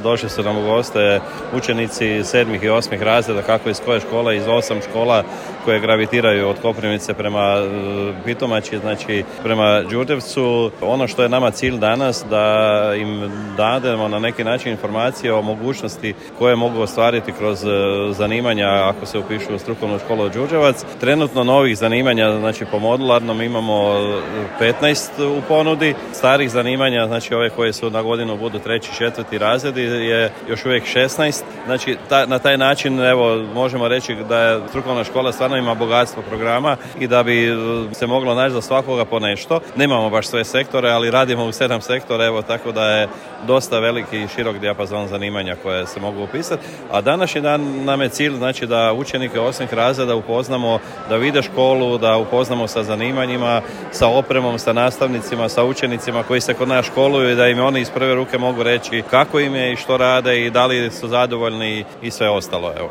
Došli su nam u goste učenici 7. i 8. razreda, kako iz koje škole, iz 8 škola koje gravitiraju od Koprivnice prema Pitomači, znači prema Đurđevcu. Ono što je nama cilj danas, da im dademo na neki način informacije o mogućnosti koje mogu ostvariti kroz zanimanja ako se upišu u strukovnu školu Đurđevac. Trenutno novih zanimanja, znači po modularnom imamo 15 u ponudi, starih zanimanja, znači ove koje su na godinu budu 3. i 4. razredi je još uvijek 16. Znači na taj način evo možemo reći da je strukovna škola stvarno ima bogatstvo programa i da bi se moglo naći za svakoga po nešto. Nemamo baš sve sektore, ali radimo u 7 sektora, evo tako da je dosta veliki i širok dijapazon zanimanja koje se mogu upisati. A današnji dan nam je cilj, znači da učenike 8. razreda upoznamo, da vide školu, da upoznamo sa zanimanjima, sa opremom, sa nastavnicima, sa učenicima koji se kod nas školuju i da im oni iz prve ruke mogu reći kako im je i što rade i da li su zadovoljni i sve ostalo. Evo.